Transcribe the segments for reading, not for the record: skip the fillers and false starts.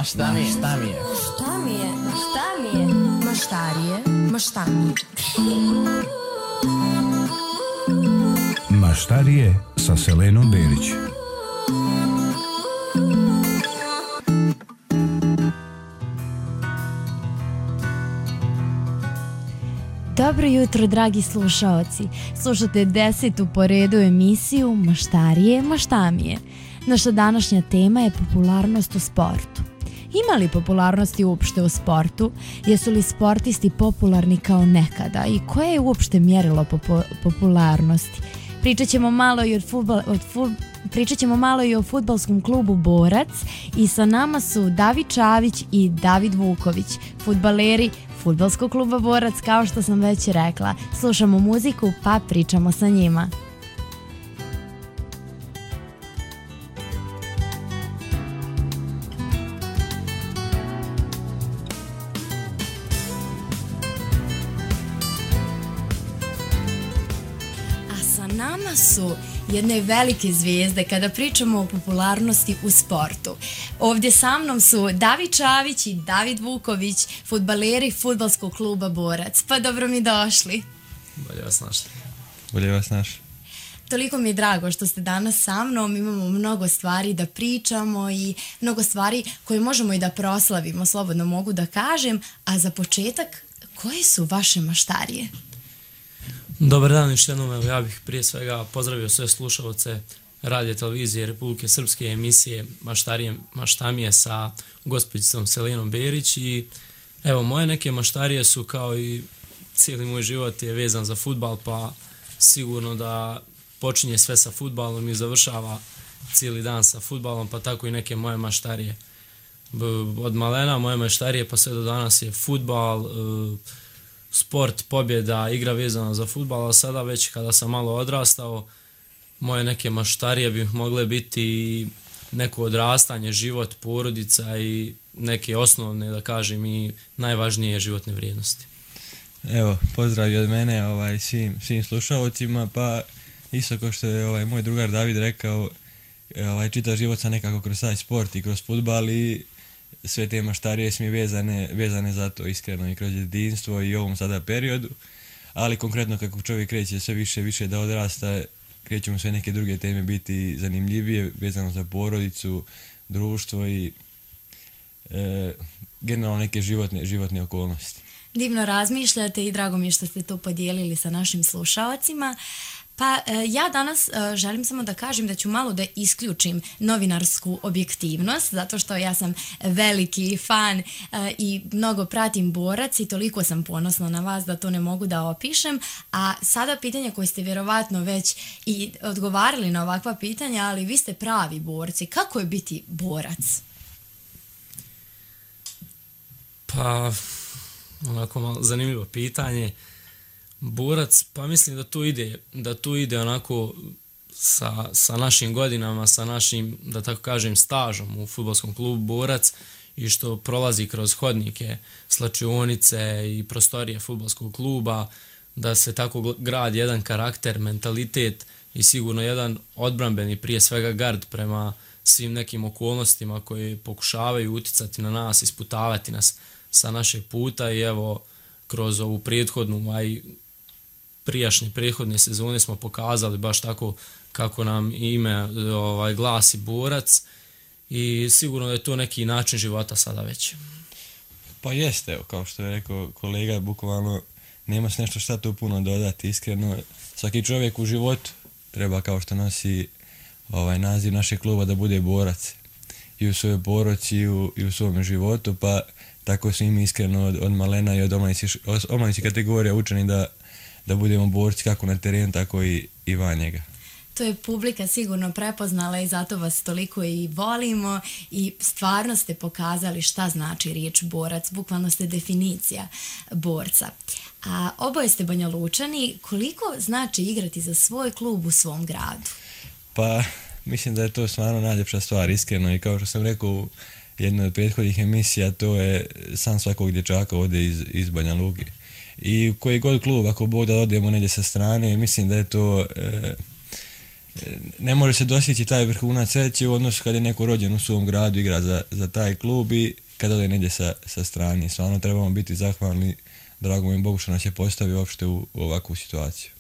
šta mi je? Šta mi je? Šta mi je? Šta mi je? Maštarije, maštarije. Maštarije sa Selenom Berić. Dobro jutro, dragi slušaoci. Slušate 10. po redu emisiju Maštarije, maštamije. Naša današnja tema je popularnost u sportu. Ima li popularnosti uopšte u sportu? Jesu li sportisti popularni kao nekada? I koje je uopšte mjerilo popularnosti? Pričat ćemo malo i o fudbalskom klubu Borac i sa nama su David Čavić i David Vuković, fudbaleri fudbalskog kluba Borac, kao što sam već rekla. Slušamo muziku pa pričamo sa njima. Nama su jedne velike zvijezde kada pričamo o popularnosti u sportu. Ovdje sa mnom su David Čavić i David Vuković, fudbaleri fudbalskog kluba Borac. Pa dobro mi došli. Bolje vas našli. Bolje vas našli. Toliko mi je drago što ste danas sa mnom, imamo mnogo stvari da pričamo i mnogo stvari koje možemo i da proslavimo, slobodno mogu da kažem. A za početak, koje su vaše maštarije? Dobar dan još jednom, evo ja bih prije svega pozdravio sve slušalce radio televizije Republike Srpske emisije Maštamije sa gospođicom Selenom Berić i evo moje neke maštarije su kao i cijeli moj život je vezan za fudbal, pa sigurno da počinje sve sa fudbalom i završava cijeli dan sa fudbalom, pa tako i neke moje maštarije. Od malena moje maštarije pa sve do danas je fudbal, sport, pobjeda, igra vezana za fudbal, a sada već kada sam malo odrastao, moje neke maštarije bi mogle biti neko odrastanje, život, porodica i neke osnovne, da kažem, i najvažnije životne vrijednosti. Evo, pozdrav od mene svim slušalcima, pa isto kao što je moj drugar David rekao, čitav život sam nekako kroz taj sport i kroz fudbal i sve te maštarije su mi vezane za to iskreno i kroz jedinstvo i ovom sada periodu, ali konkretno kako čovjek kreće sve više da odrasta, kreću mu sve neke druge teme biti zanimljivije, vezano za porodicu, društvo i generalno neke životne okolnosti. Divno razmišljate i drago mi je što ste to podijelili sa našim slušalcima. Pa ja danas želim samo da kažem da ću malo da isključim novinarsku objektivnost, zato što ja sam veliki fan i mnogo pratim Borac i toliko sam ponosna na vas da to ne mogu da opišem. A sada pitanje koje ste vjerovatno već i odgovarali na ovakva pitanja, ali vi ste pravi borci. Kako je biti borac? Pa, onako malo zanimljivo pitanje. Borac, pa mislim da tu ide onako sa našim godinama, sa našim, da tako kažem, stažom u fudbalskom klubu Borac i što prolazi kroz hodnike, slačionice i prostorije fudbalskog kluba, da se tako gradi jedan karakter, mentalitet i sigurno jedan odbrambeni, prije svega gard prema svim nekim okolnostima koje pokušavaju uticati na nas, isputavati nas sa našeg puta i evo kroz ovu prethodnu, prethodne sezone smo pokazali baš tako kako nam ime glasi Borac i sigurno da je to neki način života sada već. Pa jeste, evo, kao što je rekao kolega, bukvalno nema se nešto šta tu puno dodati, iskreno. Svaki čovjek u životu treba, kao što nosi naziv našeg kluba, da bude borac i u svojoj porodici i u svom životu, pa tako su im iskreno od malena i od omladinskih kategorija učeni da budemo borci kako na terenu, tako i van njega. To je publika sigurno prepoznala i zato vas toliko i volimo i stvarno ste pokazali šta znači riječ borac, bukvalno ste definicija borca. A oboje ste Banja Lučani, koliko znači igrati za svoj klub u svom gradu? Pa mislim da je to stvarno najljepša stvar, iskreno, i kao što sam rekao u jednoj od prethodnih emisija, to je san svakog dječaka ovdje iz Banja Luke. I koji god klub, ako Bog da odemo negdje sa strane, mislim da je to ne može se dostići taj vrhunac sreće u odnosu kad je neko rođen u svom gradu, igra za taj klub i kada ode negdje sa strane. Stvarno trebamo biti zahvalni dragom im Bogu što nas je postavio uopšte u ovakvu situaciju.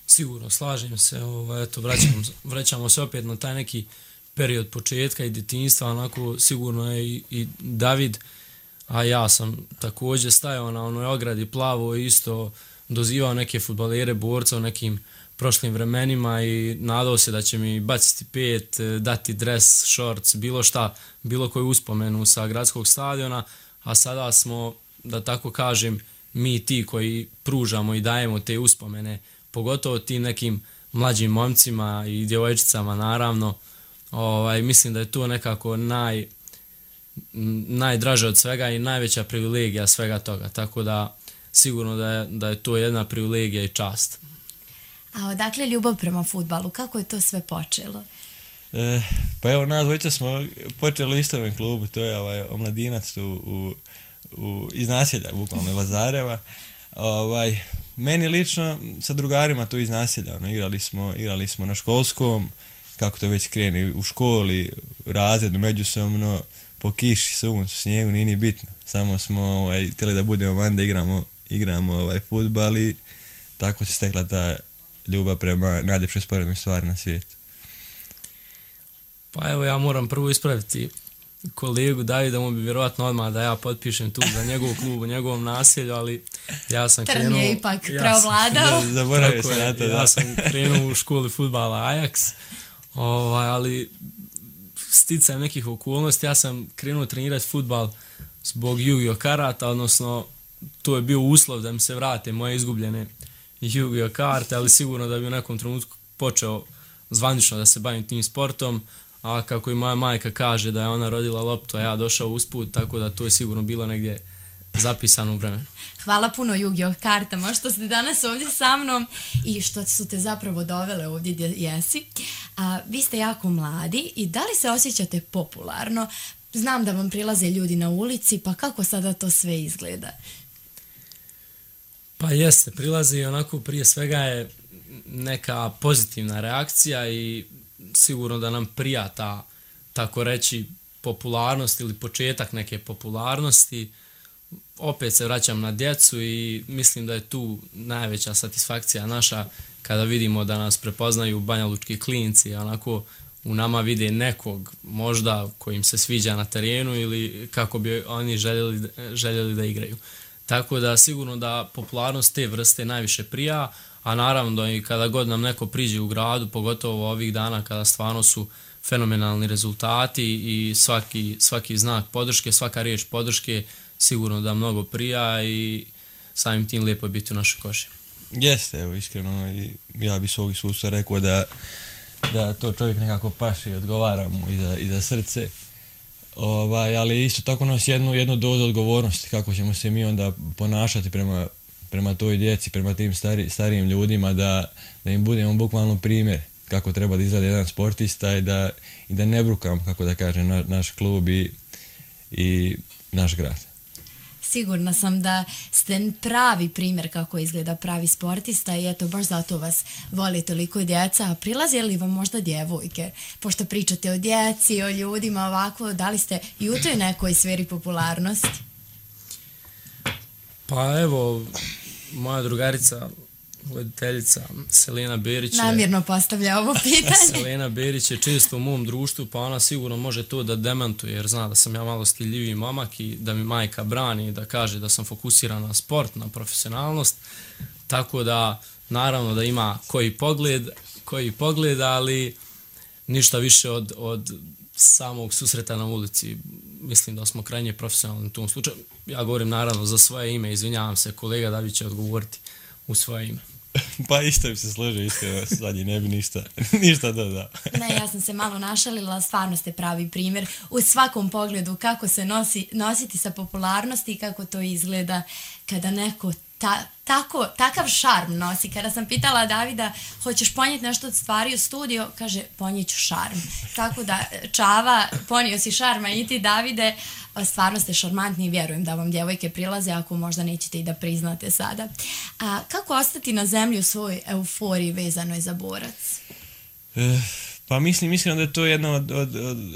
Sigurno, slažem se, eto, vraćamo se opet na taj neki period početka i djetinjstva, onako sigurno je i David, a ja sam također stajao na onoj ogradi plavo i isto dozivao neke fudbalere, borca u nekim prošlim vremenima i nadao se da će mi baciti pet, dati dres, shorts, bilo šta, bilo koju uspomenu sa gradskog stadiona, a sada smo, da tako kažem, mi ti koji pružamo i dajemo te uspomene, pogotovo tim nekim mlađim momcima i djevojčicama naravno. Mislim da je to nekako najdraže od svega i najveća privilegija svega toga, tako da sigurno da je to jedna privilegija i čast. A odakle ljubav prema fudbalu? Kako je to sve počelo? Pa evo, nas dvojica smo počeli u istom klubu, to je omladinac iz naselja, bukvalno Lazareva. Meni lično sa drugarima tu iz naselja, igrali smo na školskom, kako to već krene, u školi, razredu, međusobno, po kiši, suncu, snijegu, nije ni bitno. Samo smo htjeli da budemo van da igramo fudbal i tako se stekla ta ljubav prema najljepšoj sporednoj stvari na svijetu. Pa evo, ja moram prvo ispraviti kolegu Davida, mu bi vjerovatno odmah da ja potpišem tu za njegov klub u njegovom naselju, ali ja sam krenuo... Trn je ipak preovladao. Zaboravio sam na to, ja sam krenuo u školi fudbala Ajax, ali sticajem nekih okolnosti ja sam krenuo trenirati fudbal zbog Yu-Gi-Oh karata, odnosno to je bio uslov da mi se vrate moje izgubljene Yu-Gi-Oh karte, ali sigurno da bi u nekom trenutku počeo zvanično da se bavim tim sportom, a kako i moja majka kaže da je ona rodila loptu, a ja došao usput, tako da to je sigurno bilo negdje zapisano u vremenu. Hvala puno Yu-Gi-Oh kartama što ste danas ovdje sa mnom i što su te zapravo dovele ovdje gdje jesi. Vi ste jako mladi i da li se osjećate popularno? Znam da vam prilaze ljudi na ulici, pa kako sada to sve izgleda? Pa jeste, prilazi onako prije svega je neka pozitivna reakcija i sigurno da nam prija ta, tako reći, popularnost ili početak neke popularnosti. Opet se vraćam na djecu i mislim da je tu najveća satisfakcija naša kada vidimo da nas prepoznaju banjalučki klinci, onako u nama vide nekog možda kojim se sviđa na terenu ili kako bi oni željeli da igraju. Tako da sigurno da popularnost te vrste najviše prija, a naravno da i kada god nam neko priđe u gradu, pogotovo ovih dana kada stvarno su fenomenalni rezultati i svaki znak podrške, svaka riječ podrške sigurno da mnogo prija i samim tim lijepo je biti u našoj koži. Jeste, evo iskreno i ja bi svog iskustva rekao da to čovjek nekako paše i odgovara mu i za srce. Ali isto tako nosi jednu dozu odgovornosti kako ćemo se mi onda ponašati prema toj djeci, prema tim starijim ljudima, da im budemo bukvalno primjer kako treba da izgleda jedan sportista i da ne brukam, kako da kažem, naš klub i naš grad. Sigurna sam da ste pravi primjer kako izgleda pravi sportista i eto, baš zato vas voli toliko djeca. A prilaze li vam možda djevojke? Pošto pričate o djeci, o ljudima ovako, da li ste i u toj nekoj sferi popularnosti? Pa evo, moja drugarica, voditeljica Selena Berić namjerno postavlja ovo pitanje. Selena Berić je često u mom društvu, pa ona sigurno može to da demantuje, jer zna da sam ja malo stiljiviji momak i da mi majka brani, da kaže da sam fokusiran na sport, na profesionalnost, tako da naravno da ima koji pogled, ali ništa više od samog susreta na ulici. Mislim da smo krajnje profesionalni u tom slučaju. Ja govorim naravno za svoje ime, izvinjavam se, kolega David će odgovoriti u svoje ime. Pa isto bi se složio, iskreno, zadnji ne bi ništa dodao. Ne, ja sam se malo našalila, stvarno ste pravi primjer u svakom pogledu kako se nositi sa popularnosti i kako to izgleda kada neko takav šarm nosi. Kada sam pitala Davida, hoćeš ponijeti nešto od stvari u studio, kaže, ponijet ću šarm. Tako da, Čava, ponio si šarma i ti, Davide, stvarno ste šarmantni i vjerujem da vam djevojke prilaze, ako možda nećete i da priznate sada. A kako ostati na zemlji u svojoj euforiji vezanoj za borac? Pa mislim da je to jedna od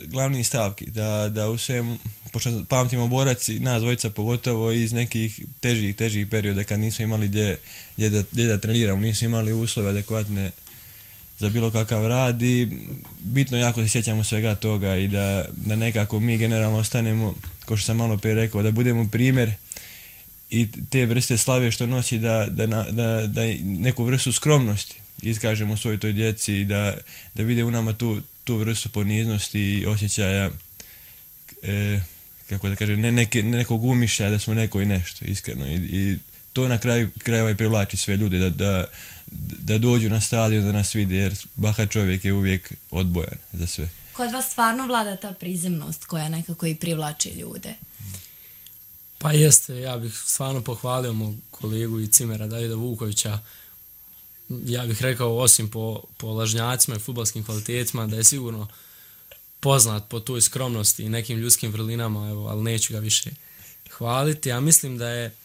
glavnih stavki, da u svemu, pošto pamtimo borac i nas dvojica pogotovo iz nekih težih perioda kad nismo imali gdje da treniramo, nismo imali uslove adekvatne za bilo kakav rad i bitno jako se sjećamo svega toga i da nekako mi generalno ostanemo, kao što sam malo prije rekao, da budemo primjer i te vrste slave što nosi da neku vrstu skromnosti iskažemo svojoj toj djeci i da vide u nama tu vrstu poniznosti i osjećaja, kako da kažem, ne nekog umišljaja da smo neko i nešto, iskreno. I to na kraju krajeva i privlači sve ljude, da dođu na stadion, da nas vide, jer bahat čovjek je uvijek odbojan za sve. Kod vas stvarno vlada ta prizemnost koja nekako i privlači ljude? Pa jeste, ja bih stvarno pohvalio mog kolegu i cimera Davida Vukovića. Ja bih rekao, osim po lažnjacima i fudbalskim kvalitetima, da je sigurno poznat po toj skromnosti i nekim ljudskim vrlinama, evo, ali neću ga više hvaliti. Ja mislim da je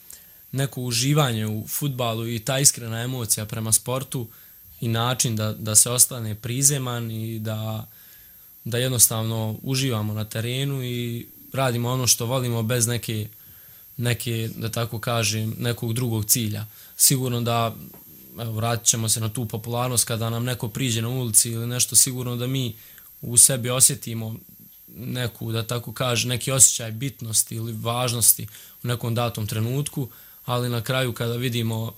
neko uživanje u fudbalu i ta iskrena emocija prema sportu i način da se ostane prizeman i da jednostavno uživamo na terenu i radimo ono što volimo bez neke, da tako kažem, nekog drugog cilja. Sigurno da, evo, vratit ćemo se na tu popularnost, kada nam neko priđe na ulici ili nešto, sigurno da mi u sebi osjetimo neku, da tako kažem, neki osjećaj bitnosti ili važnosti u nekom datom trenutku, ali na kraju kada vidimo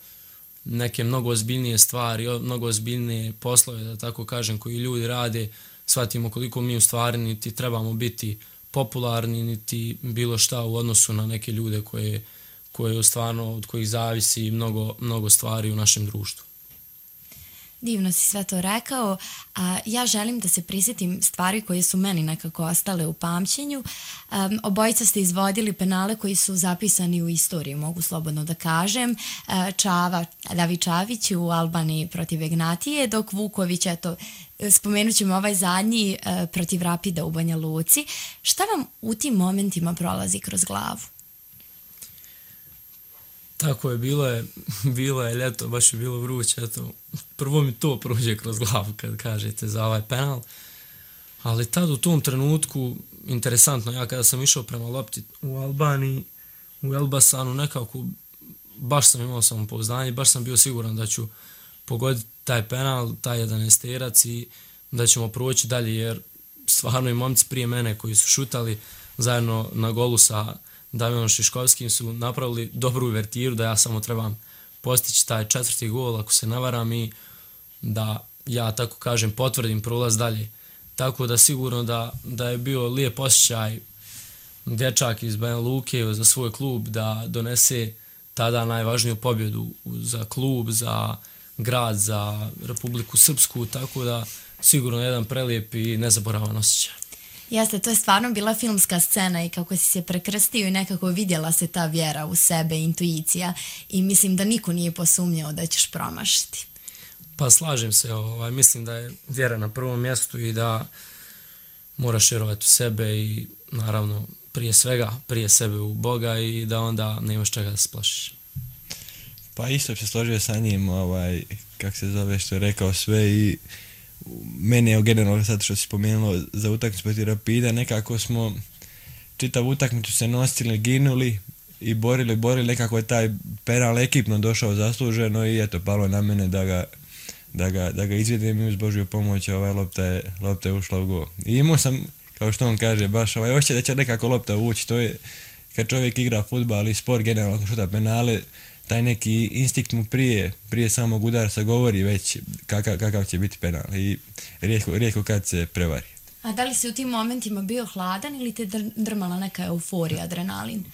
neke mnogo ozbiljnije stvari, mnogo ozbiljnije poslove, da tako kažem, koji ljudi rade, shvatimo koliko mi u stvari niti trebamo biti popularni, niti bilo šta u odnosu na neke ljude koje stvarno, od kojih zavisi mnogo stvari u našem društvu. Divno si sve to rekao, a ja želim da se prisjetim stvari koje su meni nekako ostale u pamćenju. Obojica ste izvodili penale koji su zapisani u istoriji, mogu slobodno da kažem. David Čavić u Albaniji protiv Ignatije, dok Vuković, eto, spomenut ćemo ovaj zadnji protiv Rapida u Banja Luci. Šta vam u tim momentima prolazi kroz glavu? Tako je, bilo je ljeto, baš je bilo vruće, eto, prvo mi to prođe kroz glavu kad kažete za ovaj penal, ali tad u tom trenutku, interesantno, ja kada sam išao prema lopti u Albaniji, u Elbasanu, nekako, baš sam imao samopouzdanje, baš sam bio siguran da ću pogoditi taj penal, taj 11-terac i da ćemo proći dalje, jer stvarno i momci prije mene koji su šutali zajedno na golu sa Davinom Šiškovskim su napravili dobru uvertiru da ja samo trebam postići taj 4. gol ako se ne varam i da ja tako kažem potvrdim prolaz dalje. Tako da sigurno da je bio lijep osjećaj dječak iz Banja Luke za svoj klub da donese tada najvažniju pobjedu za klub, za grad, za Republiku Srpsku, tako da sigurno jedan prelijep i nezaboravan osjećaj. Jeste, to je stvarno bila filmska scena i kako si se prekrstio i nekako vidjela se ta vjera u sebe, intuicija i mislim da niko nije posumnjao da ćeš promašiti. Pa slažem se, mislim da je vjera na prvom mjestu i da moraš vjerovati u sebe i naravno prije sebe u Boga i da onda nemaš čega da se plašiš. Pa isto se složio sa njim, kako se zove, što je rekao sve i meni je generalno sad što si spomenulo za utakmicu protiv Rapida, nekako smo čitavu utakmicu se nosili, ginuli i borili, nekako je taj penal ekipno došao zasluženo i eto, palo na mene da ga izvedem i uz Božju pomoć lopta je ušla u gol. I imao sam, kao što on kaže, baš osjećaj da će nekako lopta ući, to je kad čovjek igra fudbal i sport generalno šuta penale, taj neki instinkt mu prije samog udarca govori već kakav će biti penal i rijetko kad se prevari. A da li si u tim momentima bio hladan ili te drmala neka euforija, adrenalin?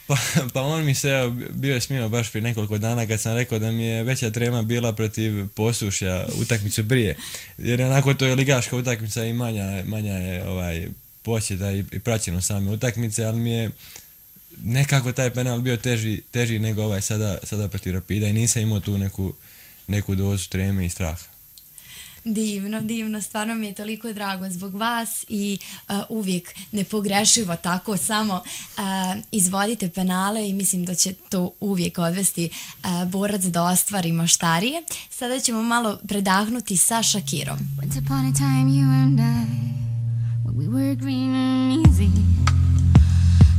Pa on mi se bio smio baš prije nekoliko dana kad sam rekao da mi je veća trema bila protiv Posušja utakmicu prije. Jer onako to je ligaška utakmica i manja je posjeta i praćeno same utakmice, ali mi je nekako taj penal bio teži nego sada protiv Rapida i nisam imao tu neku dozu treme i straha. Divno, divno, stvarno mi je toliko drago zbog vas i uvijek nepogrešivo tako samo izvodite penale i mislim da će to uvijek odvesti borac da ostvari maštarije. Sada ćemo malo predahnuti sa Shakirom. Once upon a time you and I, when we were green and easy,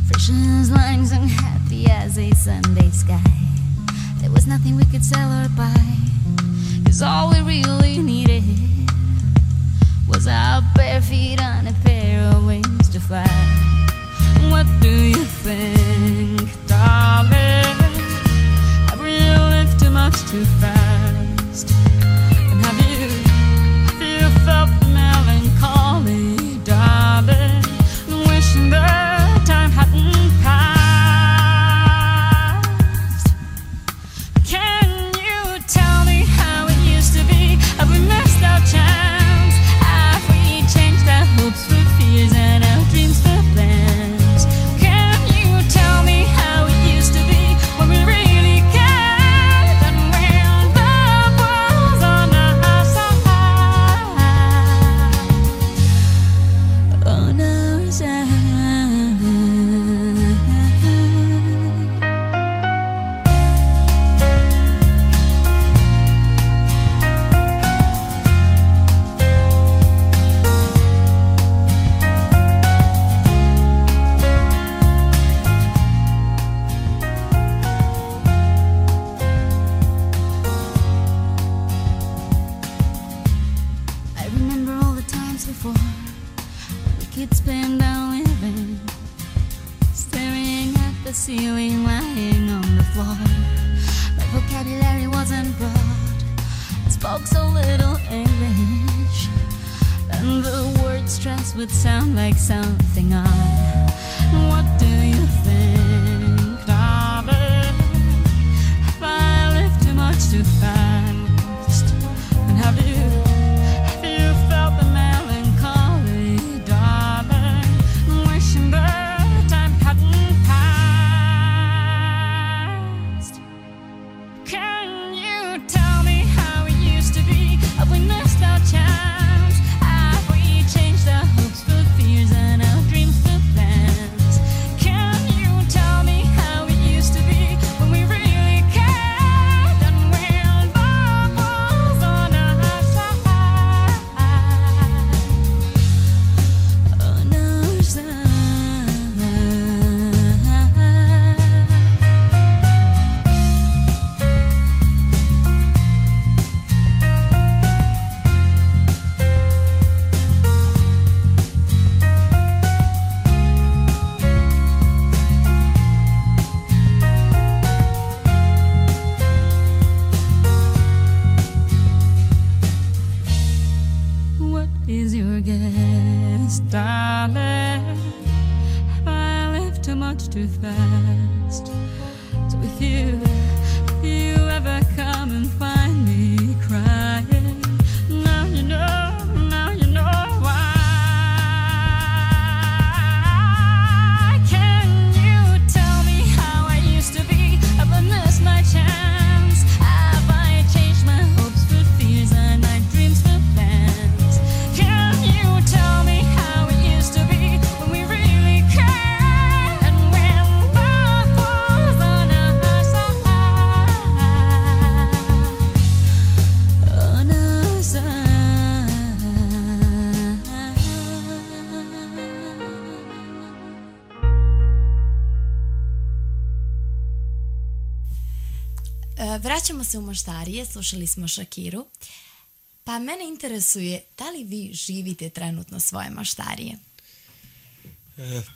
fresh as limes and happy as a Sunday sky. There was nothing we could sell or buy, 'cause all we really needed was our bare feet on a pair of wings to fly. What do you think, darling? Have we lived too much too fast? And have you felt the melancholy, darling, wishing that time hadn't passed? Can you tell me how it used to be? Have we missed our chance? Have we changed our hopes for fears and our dreams for plans? Can you tell me how it used to be when we really cared and when love was on our side? On our side. I remember all the times before when the kids spent our living, staring at the ceiling, lying on the floor. My vocabulary wasn't broad, I spoke so little English, and the word stress would sound like something odd. What do you think, darling? Have I lived too much too fast? And have you felt the melancholy, darling, wishing that time hadn't passed? Can you tell me how it used to be? Have we missed our chance? Have we changed our hopes for fears and our dreams for plans? Can you tell me how it used to be when we really cared and when love was on our side? On our side. What is your guess, darling? Have I lived too much too fast? So if you ever come and find me crying, now you know why. Can you tell me how I used to be? Have I missed my chance? Have I changed my hopes for fears and my dreams for plans? Can you tell me how it used to be when we really cared and when love was on our side? On our side. Vraćamo se u maštarije, slušali smo Shakiru. Pa mene interesuje, da li vi živite trenutno svoje maštarije?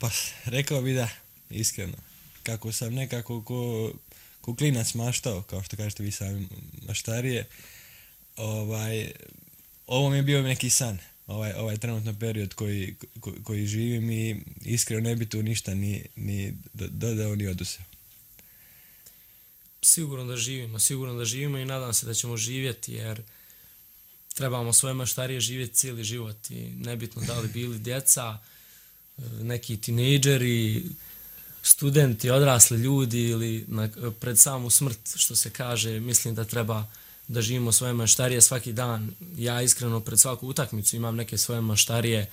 Pa rekao bi da, iskreno. Kako sam nekako ko klinac maštao, kao što kažete vi sami maštarije, ovo mi je bio neki san, ovaj trenutno period koji živim i iskreno ne bi tu ništa ni dodao ni oduzeo. Sigurno da živimo i nadam se da ćemo živjeti, jer trebamo svoje maštarije živjeti cijeli život i nebitno da li bili djeca, neki tinejdžeri, studenti, odrasli ljudi ili pred samu smrt, što se kaže, mislim da treba da živimo svoje maštarije svaki dan. Ja iskreno pred svaku utakmicu imam neke svoje maštarije,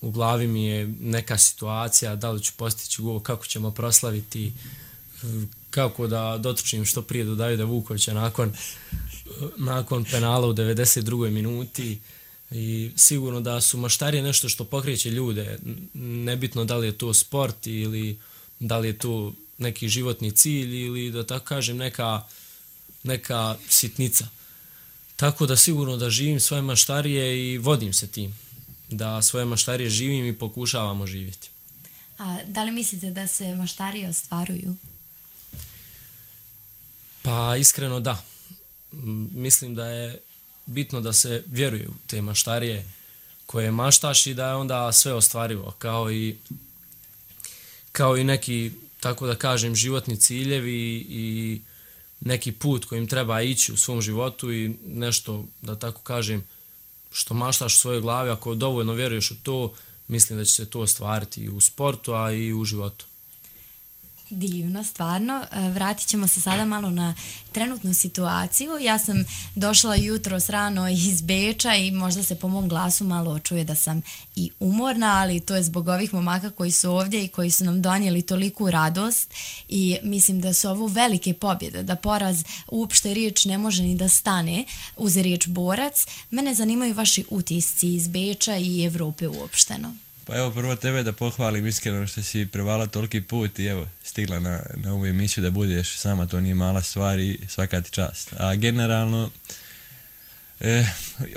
u glavi mi je neka situacija, da li ću postići gol, kako ćemo proslaviti, kako da dotrčim što prije do Davida Vukovića nakon penala u 92. minuti. I sigurno da su maštarije nešto što pokreće ljude, nebitno da li je to sport ili da li je to neki životni cilj ili da tako kažem neka sitnica. Tako da sigurno da živim svoje maštarije i vodim se tim, da svoje maštarije živim i pokušavamo živjeti. A da li mislite da se maštarije ostvaruju? Pa iskreno da. Mislim da je bitno da se vjeruje u te maštarije koje maštaš i da je onda sve ostvarivo, kao i neki, tako da kažem, životni ciljevi i neki put kojim treba ići u svom životu i nešto, da tako kažem, što maštaš u svojoj glavi, ako dovoljno vjeruješ u to, mislim da će se to ostvariti i u sportu, a i u životu. Divno, stvarno. Vratit ćemo se sada malo na trenutnu situaciju. Ja sam došla jutros rano iz Beča i možda se po mom glasu malo čuje da sam i umorna, ali to je zbog ovih momaka koji su ovdje i koji su nam donijeli toliku radost i mislim da su ovo velike pobjede, da poraz uopšte riječ ne može ni da stane uz riječ borac. Mene zanimaju vaši utisci iz Beča i Evrope uopšteno. Pa evo, prvo tebe da pohvalim iskreno što si prevala toliki put i evo, stigla na ovu emisiju da budeš sama, to nije mala stvar i svaka ti čast. A generalno,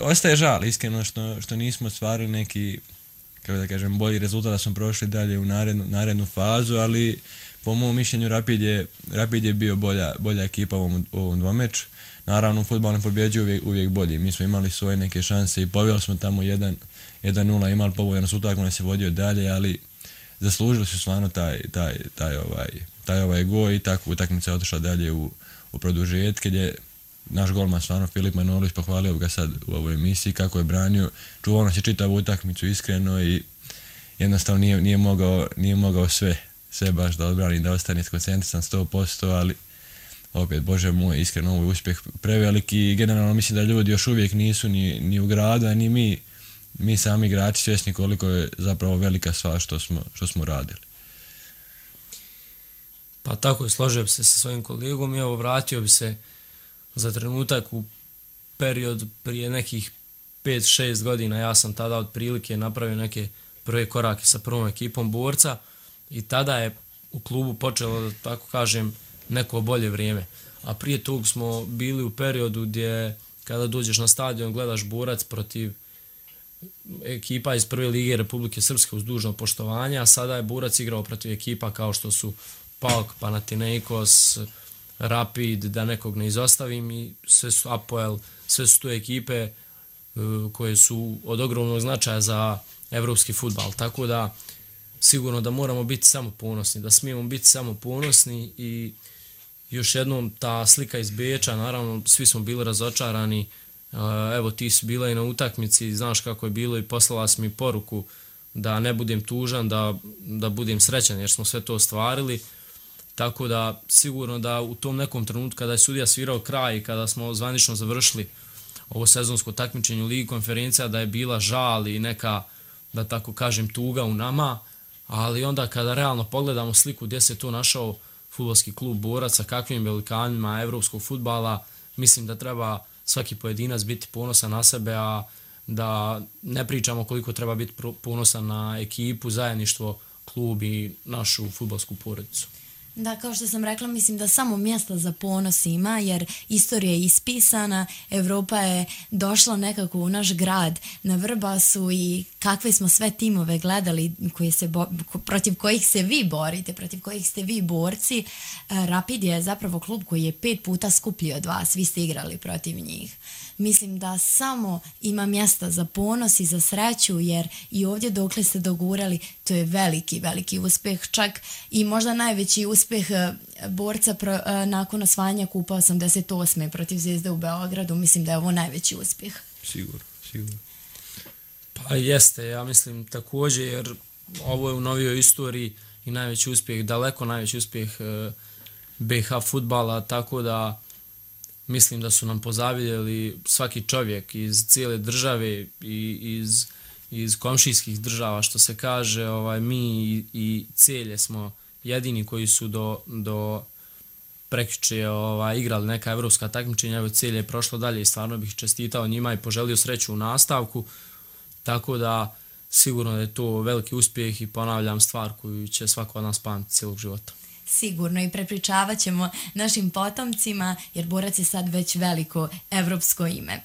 ostaje žal iskreno što nismo ostvarili neki, kako da kažem, bolji rezultat, da smo prošli dalje u narednu fazu, ali po mom mišljenju Rapid je bio bolja ekipa u ovom dvomeču. Naravno, u fudbalu ne pobjeđuje uvijek bolji. Mi smo imali svoje neke šanse i pobjeli smo tamo 1-0, imali povoljan utakmicu, ne se vodio dalje, ali zaslužili su stvarno taj gol i tako utakmica je otišla dalje u produžetke gdje naš golman stvarno Filip Manolić, pohvalio ga sad u ovoj emisiji kako je branio, čuvao nas je čitavu utakmicu iskreno i jednostavno nije mogao sve baš da odbrani, da ostane skoncentrisan 100%, ali opet, Bože moj, iskreno ovo je uspjeh preveliki i generalno mislim da ljudi još uvijek nisu ni u gradu, a ni mi sami igrači svjesni koliko je zapravo velika stvar što smo radili. Pa tako je, složio bi se sa svojim kolegom i evo vratio bi se za trenutak u period prije nekih 5-6 godina. Ja sam tada otprilike napravio neke prve korake sa prvom ekipom borca i tada je u klubu počelo, da tako kažem, neko bolje vrijeme. A prije tog smo bili u periodu gdje kada dođeš na stadion gledaš borac protiv ekipa iz prve lige Republike Srpske uz dužno poštovanje, a sada je borac igrao protiv ekipa kao što su PAOK, Panathinaikos, Rapid, da nekog ne izostavim, i sve su Apoel, sve su to ekipe koje su od ogromnog značaja za evropski fudbal. Tako da sigurno da moramo biti samo ponosni, da smijemo biti samo ponosni i još jednom ta slika iz Beča, naravno svi smo bili razočarani. Evo, ti si bila i na utakmici, znaš kako je bilo i poslala si mi poruku da ne budem tužan, da budem srećan jer smo sve to ostvarili. Tako da sigurno da u tom nekom trenutku kada je sudija svirao kraj i kada smo zvanično završili ovo sezonsko takmičenje u Ligi konferencija, da je bila žal i neka, da tako kažem, tuga u nama, ali onda kada realno pogledamo sliku gdje se to našao fudbalski klub Borac sa kakvim velikanima evropskog fudbala, mislim da treba svaki pojedinac biti ponosan na sebe, a da ne pričamo koliko treba biti ponosan na ekipu, zajedništvo, klub i našu fudbalsku porodicu. Da, kao što sam rekla, mislim da samo mjesta za ponos ima, jer istorija je ispisana, Evropa je došla nekako u naš grad na Vrbasu i kakve smo sve timove gledali protiv kojih se vi borite, protiv kojih ste vi borci. Rapid je zapravo klub koji je 5 puta skuplji od vas, vi ste igrali protiv njih. Mislim da samo ima mjesta za ponos i za sreću, jer i ovdje dokle ste dogurali, to je veliki, veliki uspjeh, čak i možda najveći uspjeh borca nakon osvajanja kupa 88. protiv Zvijezde u Beogradu. Mislim da je ovo najveći uspjeh. Sigurno. Pa jeste, ja mislim također, jer ovo je u novijoj istoriji i najveći uspjeh, daleko najveći uspjeh BiH fudbala, tako da mislim da su nam pozavidjeli svaki čovjek iz cijele države i iz komšijskih država, što se kaže. Mi i Celje smo jedini koji su do prekjuče igrali neka evropska takmičenja. Evo, Celje je prošlo dalje i stvarno bih čestitao njima i poželio sreću u nastavku, tako da sigurno da je to veliki uspjeh i ponavljam, stvar koju će svako od nas pamtiti cijelog života. Sigurno, i prepričavat ćemo našim potomcima, jer borac je sad već veliko evropsko ime.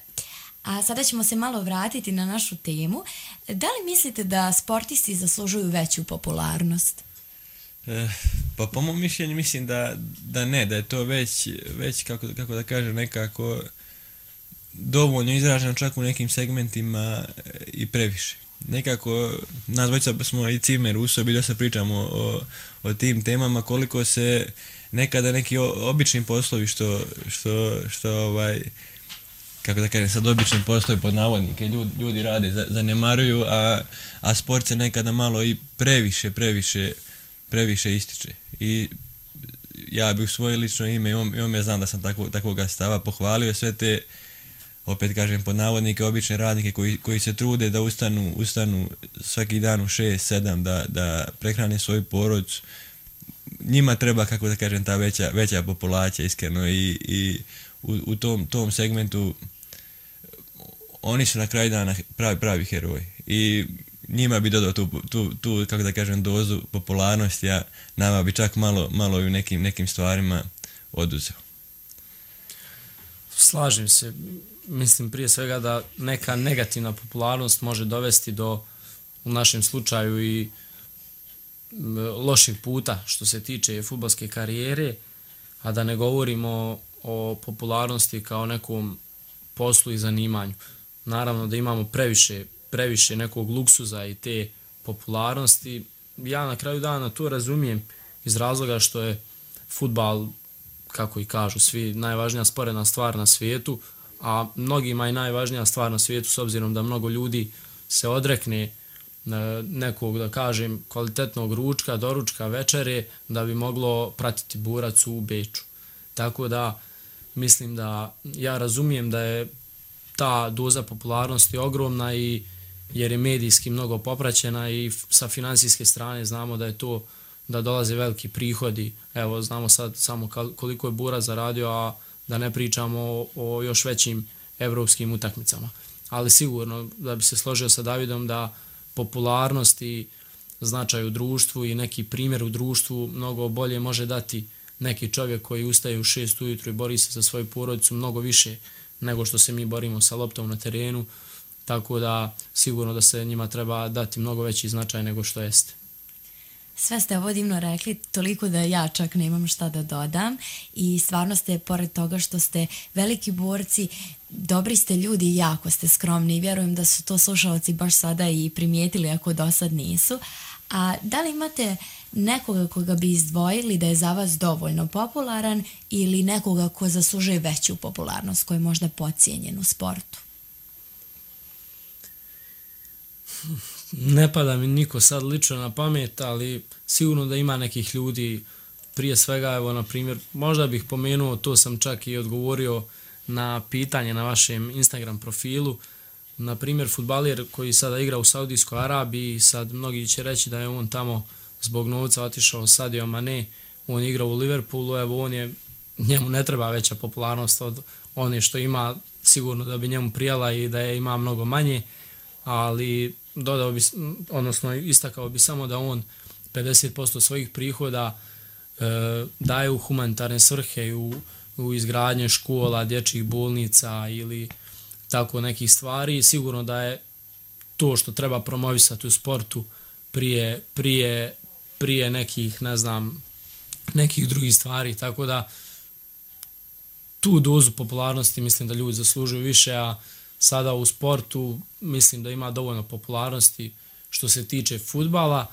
A sada ćemo se malo vratiti na našu temu. Da li mislite da sportisti zaslužuju veću popularnost? Pa po mom mišljenju mislim da ne, da je to već kako da kažem, nekako dovoljno izraženo čak u nekim segmentima i previše. Nekako, nas dvojica smo i cimer u sobi, dosta pričamo o tim temama, koliko se nekada neki obični poslovi što kako da kažem, sad obični poslovi pod navodnike ljudi rade, zanemaruju, a sport se nekada malo i previše ističe. I ja bih u svoje lično ime, ja znam da sam takvoga stava, pohvalio sve te, opet kažem, pod navodnike, obične radnike koji se trude da ustanu svaki dan u 6-7, da prehrane svoju porodicu. Njima treba, kako da kažem, ta veća populacija, iskreno, i u tom segmentu oni su na kraju dana pravi heroji. I njima bi dodao tu, kako da kažem, dozu popularnosti, a nama bi čak malo i u nekim stvarima oduzeo. Slažem se. Mislim prije svega da neka negativna popularnost može dovesti do, u našem slučaju, i lošeg puta što se tiče fudbalske karijere, a da ne govorimo o popularnosti kao nekom poslu i zanimanju. Naravno da imamo previše nekog luksuza i te popularnosti. Ja na kraju dana to razumijem iz razloga što je fudbal, kako i kažu svi, najvažnija sporedna stvar na svijetu, a mnogima je najvažnija stvar na svijetu s obzirom da mnogo ljudi se odrekne nekog, da kažem, kvalitetnog ručka, doručka, večere da bi moglo pratiti borac u Beču. Tako da mislim da ja razumijem da je ta doza popularnosti ogromna, i jer je medijski mnogo popraćena i sa financijske strane znamo da je to, da dolaze veliki prihodi. Evo, znamo sad samo koliko je borac zaradio, a da ne pričamo o još većim evropskim utakmicama. Ali sigurno da bi se složio sa Davidom da popularnost i značaj u društvu i neki primjer u društvu mnogo bolje može dati neki čovjek koji ustaje u 6 ujutru i bori se za svoju porodicu mnogo više nego što se mi borimo sa loptom na terenu, tako da sigurno da se njima treba dati mnogo veći značaj nego što jeste. Sve ste ovo divno rekli, toliko da ja čak nemam šta da dodam, i stvarno ste, pored toga što ste veliki borci, dobri ste ljudi i jako ste skromni, i vjerujem da su to slušalci baš sada i primijetili ako do sad nisu. A da li imate nekoga koga bi izdvojili da je za vas dovoljno popularan ili nekoga ko zaslužuje veću popularnost, koji je možda podcijenjen u sportu? Ne pada mi niko sad lično na pamet, ali sigurno da ima nekih ljudi. Prije svega, evo, na primjer, možda bih pomenuo, to sam čak i odgovorio na pitanje na vašem Instagram profilu, na primjer fudbaler koji sada igra u Saudijskoj Arabiji, sad mnogi će reći da je on tamo zbog novca otišao, Sadio Mane, on igra u Liverpoolu, evo, njemu ne treba veća popularnost od one što ima, sigurno da bi njemu prijala i da je ima mnogo manje, ali dodao bi, odnosno istakao bi samo da on 50% svojih prihoda daje u humanitarne svrhe i u izgradnje škola, dječjih bolnica ili tako nekih stvari. Sigurno da je to što treba promovisati u sportu prije nekih, ne znam, nekih drugih stvari, tako da tu dozu popularnosti mislim da ljudi zaslužuju više, a sada u sportu mislim da ima dovoljno popularnosti što se tiče fudbala.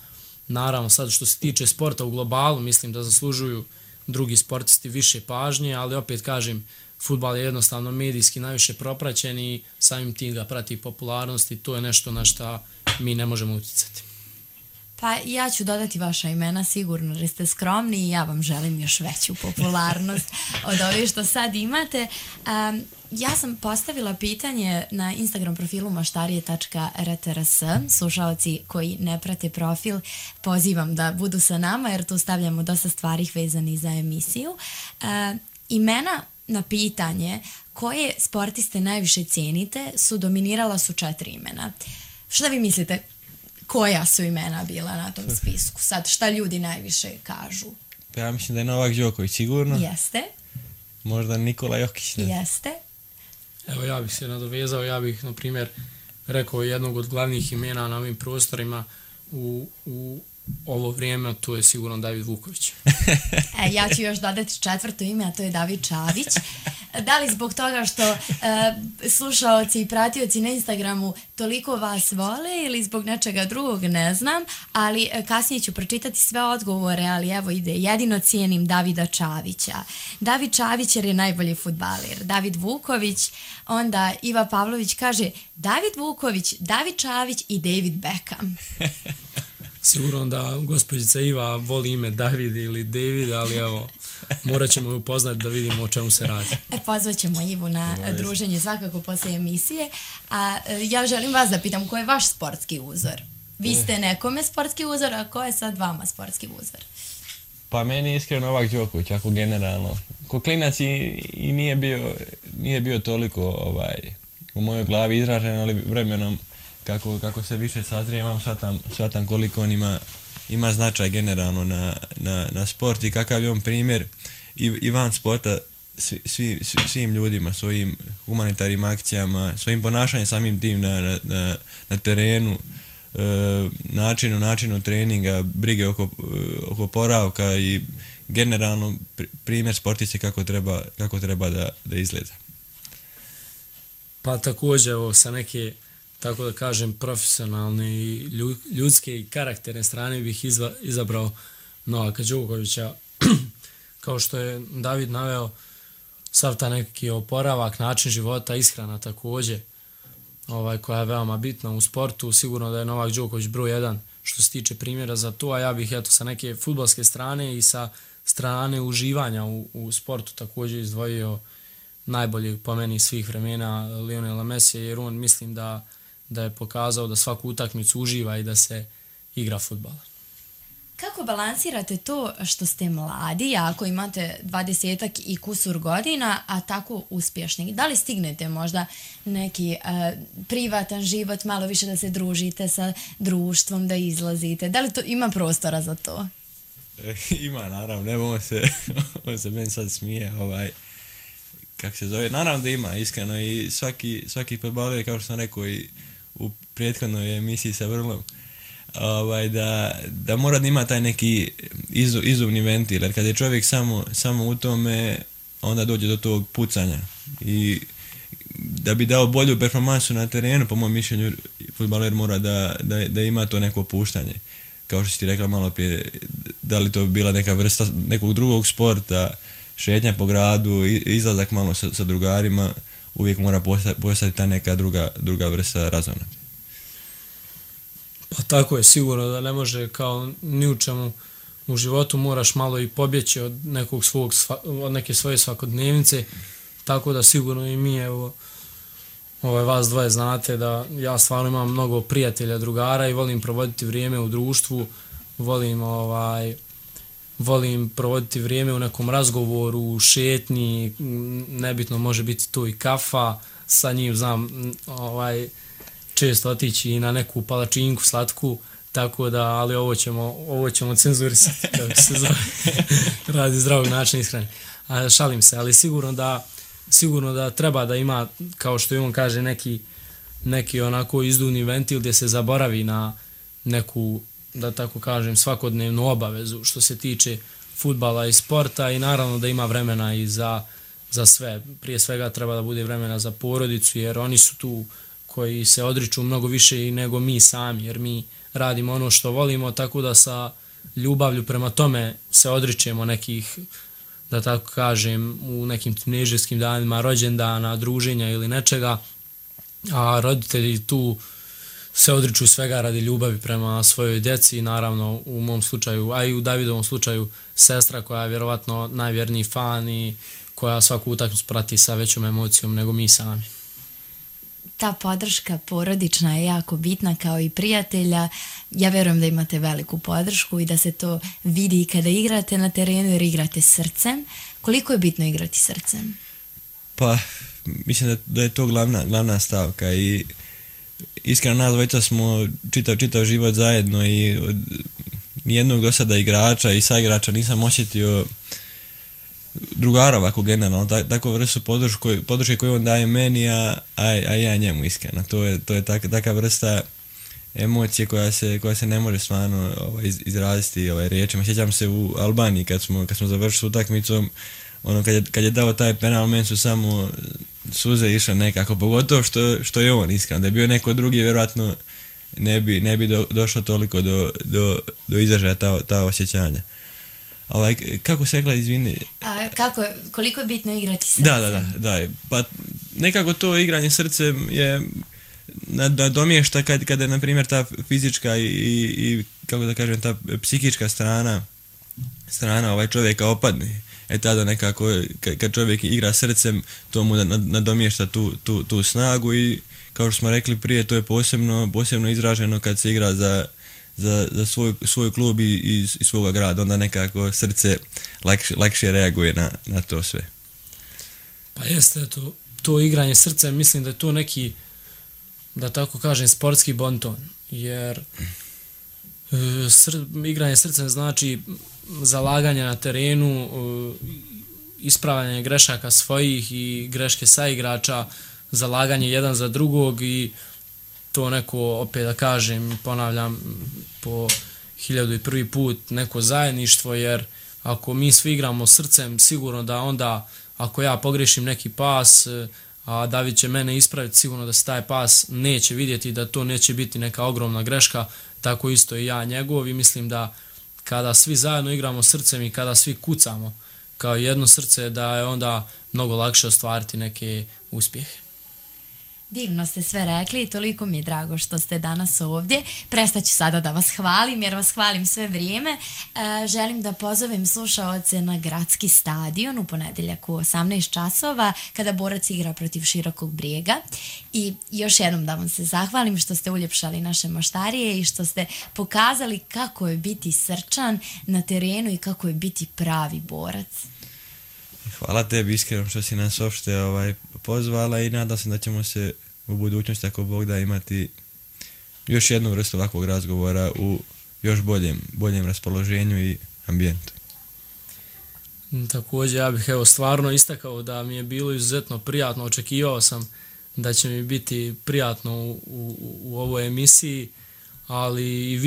Naravno, sad što se tiče sporta u globalu, mislim da zaslužuju drugi sportisti više pažnje, ali opet kažem, fudbal je jednostavno medijski najviše propraćen i samim tim ga prati popularnost i to je nešto na što mi ne možemo utjecati. Pa ja ću dodati vaša imena sigurno jer ste skromni i ja vam želim još veću popularnost od ove što sad imate. Ja sam postavila pitanje na Instagram profilu maštarije.rtrs. Slušalci koji ne prate profil pozivam da budu sa nama jer tu stavljamo dosta stvari vezani za emisiju. Imena na pitanje koje sportiste najviše cijenite dominirala su 4 imena. Šta vi mislite? Koja su imena bila na tom spisku? Sad, šta ljudi najviše kažu? Pa ja mislim da je Novak Đoković sigurno. Jeste. Možda Nikola Jokić. Jeste. Evo ja bih se nadovezao, ja bih na primjer rekao jednog od glavnih imena na ovim prostorima u ovo vrijeme, to je sigurno David Vuković. Ja ću još dodati 4. ime, a to je David Čavić. Da li zbog toga što slušaoci i pratioci na Instagramu toliko vas vole ili zbog nečega drugog, ne znam, ali kasnije ću pročitati sve odgovore, ali evo ide, jedino cijenim Davida Čavića. David Čavić jer je najbolji fudbaler. David Vuković, onda Iva Pavlović kaže David Vuković, David Čavić i David Beckham. Sigurno da gospođica Iva voli ime David ili David, ali evo, morat ćemo ju upoznati da vidimo o čemu se radi. Pozvat ćemo Ivu na druženje svakako poslije emisije. A ja želim vas da pitam, ko je vaš sportski uzor? Vi ste nekome sportski uzor, a ko je sad vama sportski uzor? Pa meni je iskreno Novak Đoković, ako generalno. Ko klinac i nije bio toliko u mojoj glavi izražen, ali vremenom kako se više sazrijevam, shvatam koliko on ima značaj generalno na sport i kakav je on primjer i van sporta svim ljudima, svojim humanitarnim akcijama, svojim ponašanjem samim tim na terenu, načinu treninga, brige oko oporavka i generalno primjer sportice kako treba da izgleda. Pa također evo, sa neke, tako da kažem, profesionalne i ljudske i karakterne strane bih izabrao Novaka Đokovića. Kao što je David naveo, sav ta neki oporavak, način života, ishrana također, koja je veoma bitna u sportu. Sigurno da je Novak Đoković broj 1 što se tiče primjera za to, a ja bih sa neke fudbalske strane i sa strane uživanja u sportu također izdvojio najboljeg po meni svih vremena Lionela Mesija, jer on mislim da je pokazao da svaku utakmicu uživa i da se igra fudbala. Kako balansirate to što ste mladi, ako imate 20-ak i kusur godina, a tako uspješni? Da li stignete možda neki privatan život, malo više da se družite sa društvom, da izlazite? Da li to ima prostora za to? Ima, naravno. Evo on se meni sad smije, kako se zove. Naravno da ima, iskreno, i svaki fudbaler, kao što sam rekao i u prethodnoj emisiji sa Vrlom, da mora da ima taj neki izumni ventil, jer kad je čovjek samo u tome, onda dođe do tog pucanja. I da bi dao bolju performansu na terenu, po mojom mišljenju, fudbaler mora da ima to neko opuštanje. Kao što si ti rekla malo prije, da li to bila neka vrsta nekog drugog sporta, šetnja po gradu, izlazak malo sa drugarima, uvijek mora postati ta neka druga vrsta razona. Pa tako je, sigurno da ne može kao ni u čemu u životu, moraš malo i pobjeći od neke svoje svakodnevnice, tako da sigurno i mi, evo, vas dvoje znate da ja stvarno imam mnogo prijatelja, drugara i volim provoditi vrijeme u društvu, volim provoditi vrijeme u nekom razgovoru, u šetnji, nebitno može biti tu i kafa, sa njim znam često otići i na neku palačinku slatku, tako da, ali ovo ćemo cenzurisati, kako se zove, radi zdravog načina ishrane. Šalim se, ali sigurno da treba da ima, kao što i on kaže, neki onako izduvni ventil gdje se zaboravi na neku, da tako kažem, svakodnevnu obavezu što se tiče fudbala i sporta, i naravno da ima vremena i za sve. Prije svega treba da bude vremena za porodicu, jer oni su tu koji se odriču mnogo više i nego mi sami, jer mi radimo ono što volimo, tako da sa ljubavlju prema tome se odričemo nekih, da tako kažem, u nekim tinejdžerskim danima, rođendana, druženja ili nečega, a roditelji tu se odriču svega radi ljubavi prema svojoj djeci i naravno u mom slučaju, a i u Davidovom slučaju sestra koja je vjerovatno najvjerniji fan i koja svaku utakmicu prati sa većom emocijom nego mi sami. Ta podrška porodična je jako bitna kao i prijatelja. Ja vjerujem da imate veliku podršku i da se to vidi kada igrate na terenu jer igrate srcem. Koliko je bitno igrati srcem? Pa, mislim da je to glavna stavka i iskreno nas dvojica smo čitav život zajedno i od nijednog do sada igrača i saigrača nisam osjetio drugara ovako generalno, takvu vrstu podrške koju on daje meni, a ja njemu iskreno. To je taka vrsta emocije koja se ne može stvarno izraziti riječima. Sjećam se u Albaniji kad smo završili s utakmicom, ono kad je dao taj penal, meni su samo suze išle nekako, pogotovo što je on iskreno. Da je bio neko drugi, vjerojatno ne bi došlo toliko do izražaja ta osjećanja. Kako se rekla, izvini? Koliko je bitno igrati srcem? Da. Pa nekako to igranje srcem je nadomješta kada je, na primjer, ta fizička i kako da kažem, ta psihička strana čovjeka opadne. Tada nekako, kad čovjek igra srcem, to mu nadomješta tu snagu i, kao što smo rekli prije, to je posebno izraženo kad se igra za svoj klub i svoga grada, onda nekako srce lakše reaguje na to sve. Pa jeste, to igranje srcem, mislim da je to neki, da tako kažem, sportski bonton, jer igranje srcem znači zalaganje na terenu, ispravljanje grešaka svojih i greške saigrača, zalaganje jedan za drugog i to neko, opet da kažem, ponavljam po 1001 put, neko zajedništvo, jer ako mi svi igramo srcem, sigurno da onda, ako ja pogrešim neki pas, a David će mene ispraviti, sigurno da se taj pas neće vidjeti, da to neće biti neka ogromna greška, tako isto i ja njegov, i mislim da kada svi zajedno igramo srcem i kada svi kucamo kao jedno srce, da je onda mnogo lakše ostvariti neke uspjehe. Divno ste sve rekli i toliko mi je drago što ste danas ovdje. Prestaću sada da vas hvalim jer vas hvalim sve vrijeme. Želim da pozovem slušaoce na gradski stadion u ponedjeljak u 18 časova kada Borac igra protiv Širokog Brijega. I još jednom da vam se zahvalim što ste uljepšali naše Moštarije i što ste pokazali kako je biti srčan na terenu i kako je biti pravi borac. Hvala tebi iskreno što si nas uopšte pozvala i nadam se da ćemo se u budućnosti, ako Bog da, imati još jednu vrstu ovakvog razgovora u još boljem raspoloženju i ambijentu. Također ja bih stvarno istakao da mi je bilo izuzetno prijatno, očekivao sam da će mi biti prijatno u ovoj emisiji, ali i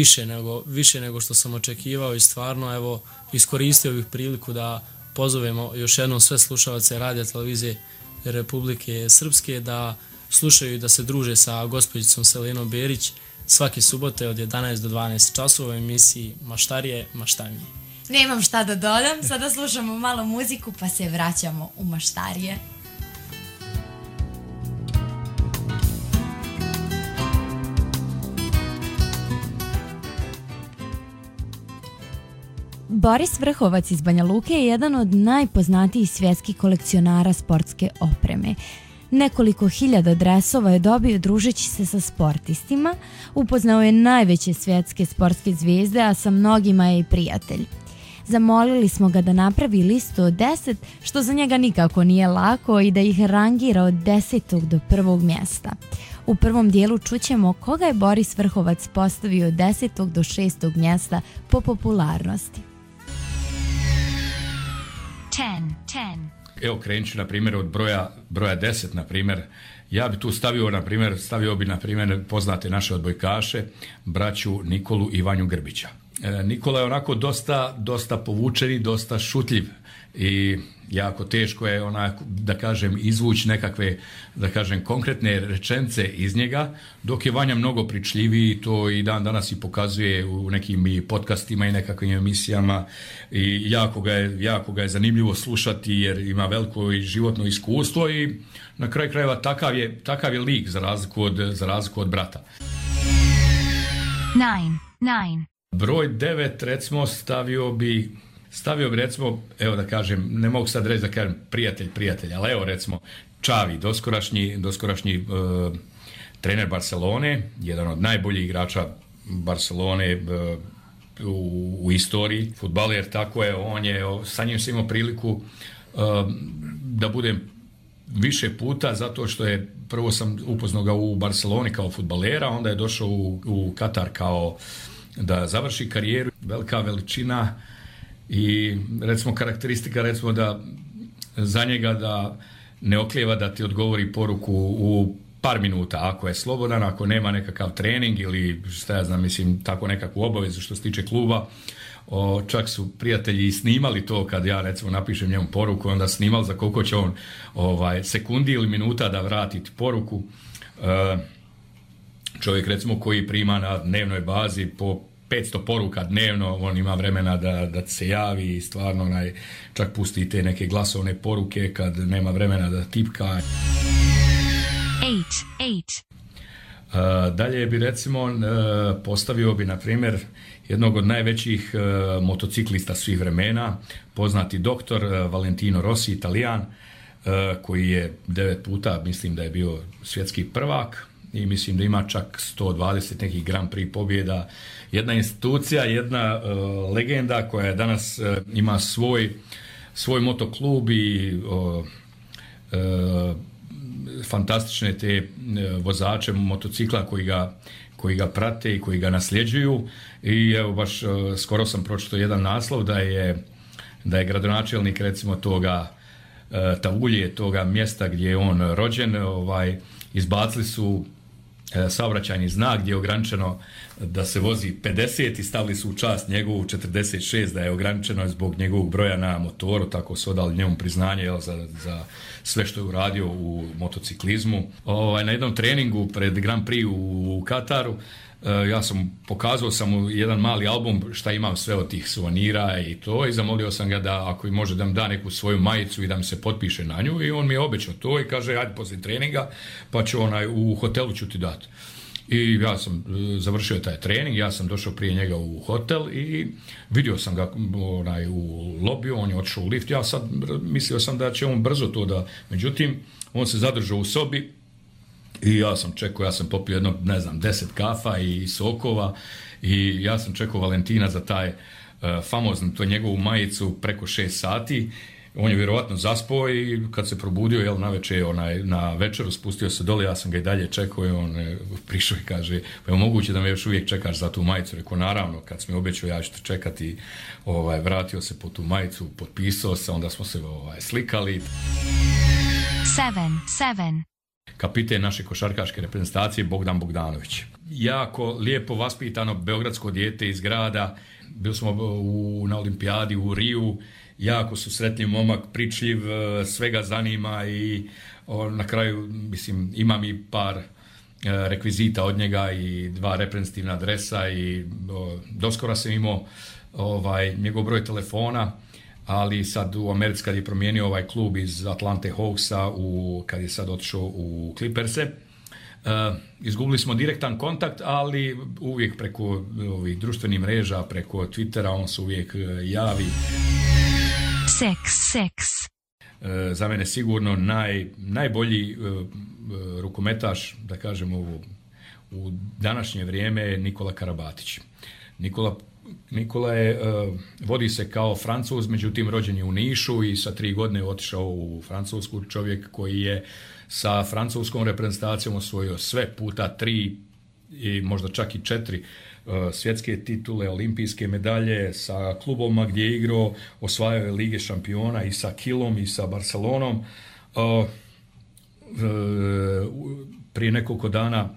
više nego što sam očekivao i stvarno iskoristio bih priliku da pozovemo još jednom sve slušalce radija televizije Republike Srpske da slušaju i da se druže sa gospođicom Selenom Berić svake subote od 11 do 12 časova u emisiji Maštarije, Maštamije. Nemam šta da dodam, sada slušamo malo muziku pa se vraćamo u Maštarije. Boris Vrhovac iz Banja Luke je jedan od najpoznatijih svjetskih kolekcionara sportske opreme. Nekoliko hiljada dresova je dobio družeći se sa sportistima, upoznao je najveće svjetske sportske zvijezde, a sa mnogima je i prijatelj. Zamolili smo ga da napravi listu od 10, što za njega nikako nije lako, i da ih rangira od 10. do 1. mjesta. U prvom dijelu čućemo koga je Boris Vrhovac postavio od 10. do 6. mjesta po popularnosti. 10. Evo, krenut ću na primjer od broja 10, na primjer. Ja bi tu stavio bi na primjer poznate naše odbojkaše, braću Nikolu i Vanju Grbića. Nikola je onako dosta povučeni, dosta šutljiv i jako teško je da kažem izvući nekakve, da kažem, konkretne rečenice iz njega, dok je Vanja mnogo pričljiviji, to i dan danas i pokazuje u nekim i podcastima i nekakvim emisijama, i jako ga je zanimljivo slušati jer ima veliko i životno iskustvo i na kraju krajeva takav je lik za razliku od brata. 9. Broj 9 recimo stavio bi recimo, evo da kažem, ne mogu sad reći da kažem prijatelj, ali evo recimo Xavi, doskorašnji trener Barcelone, jedan od najboljih igrača Barcelone u istoriji, fudbaler, tako je, sa njim sam imao priliku da budem više puta, zato što je prvo sam upoznao ga u Barceloni kao fudbalera, onda je došao u Katar kao da završi karijeru, velika veličina i recimo karakteristika recimo da za njega da ne oklijeva da ti odgovori poruku u par minuta, ako je slobodan, ako nema nekakav trening ili šta ja znam, mislim, tako nekakvu obavezu što se tiče kluba. Čak su prijatelji i snimali to kad ja recimo napišem njemu poruku, onda snimali za koliko će on sekundi ili minuta da vrati poruku. Čovjek recimo koji prima na dnevnoj bazi po 500 poruka dnevno, on ima vremena da se javi i stvarno čak pusti te neke glasovne poruke kad nema vremena da tipka. 8. Dalje bi recimo postavio bi na primjer jednog od najvećih motociklista svih vremena, poznati doktor Valentino Rossi, Italijan, koji je 9 puta, mislim da je bio svjetski prvak i mislim da ima čak 120 nekih Grand Prix pobjeda. Jedna institucija, jedna legenda koja danas ima svoj motoklub i fantastične te vozače motocikla koji ga prate i koji ga nasljeđuju. I evo baš skoro sam pročitao jedan naslov da je gradonačelnik recimo toga Tavulje, toga mjesta gdje je on rođen, izbacili su saobraćajni znak gdje je ograničeno da se vozi 50 i stavili su u čast njegovu 46 da je ograničeno zbog njegovog broja na motoru, tako su odali njemu priznanje za sve što je uradio u motociklizmu. Na jednom treningu pred Grand Prix u Kataru ja sam pokazao sam mu jedan mali album šta imam sve od tih suvenira i to, i zamolio sam ga da ako može da mi da neku svoju majicu i da mi se potpiše na nju, i on mi je obećao to i kaže ajde poslije treninga pa ću u hotelu ću ti dati. I ja sam završio taj trening, ja sam došao prije njega u hotel i vidio sam ga u lobiju, on je otišao u lift, ja sad mislio sam da će on brzo to da, međutim on se zadržao u sobi i ja sam čekao, ja sam popio jedno, 10 kafa i sokova i ja sam čekao Valentina za taj famoznu, to njegovu majicu preko 6 sati. On je vjerovatno zaspao i kad se probudio navečer na večeru spustio se dole, ja sam ga i dalje čekao i on prišao i kaže pa je moguće da me još uvijek čekaš za tu majicu. Rekao naravno, kad sam mi obećao ja ću te čekati. Vratio se po tu majicu, potpisao se, onda smo se slikali. 7. Kapiten naše košarkaške reprezentacije Bogdan Bogdanović. Jako lijepo vaspitano beogradsko dijete iz grada. Bili smo na olimpijadi u Riju. Jako su sretni momak, pričljiv, svega zanima i na kraju, mislim, imam i par rekvizita od njega i 2 reprezentativna dresa i doskora sam imao njegov broj telefona, ali sad u Americi kad je promijenio ovaj klub iz Atlante Hawksa, kad je sad otišao u Clipperse, izgubili smo direktan kontakt, ali uvijek preko ovih društvenih mreža, preko Twittera, on se uvijek javi. 6. Za mene sigurno najbolji rukometaš, da kažemo u današnje vrijeme, je Nikola Karabatić. Nikola vodi se kao Francuz, međutim rođen je u Nišu i sa 3 godine otišao u Francusku. Čovjek koji je sa francuskom reprezentacijom osvojio sve puta 3 i možda čak i 4 svjetske titule, olimpijske medalje, sa klubovima gdje je igrao, osvajao je Lige šampiona i sa Kilom i sa Barcelonom. Prije nekoliko dana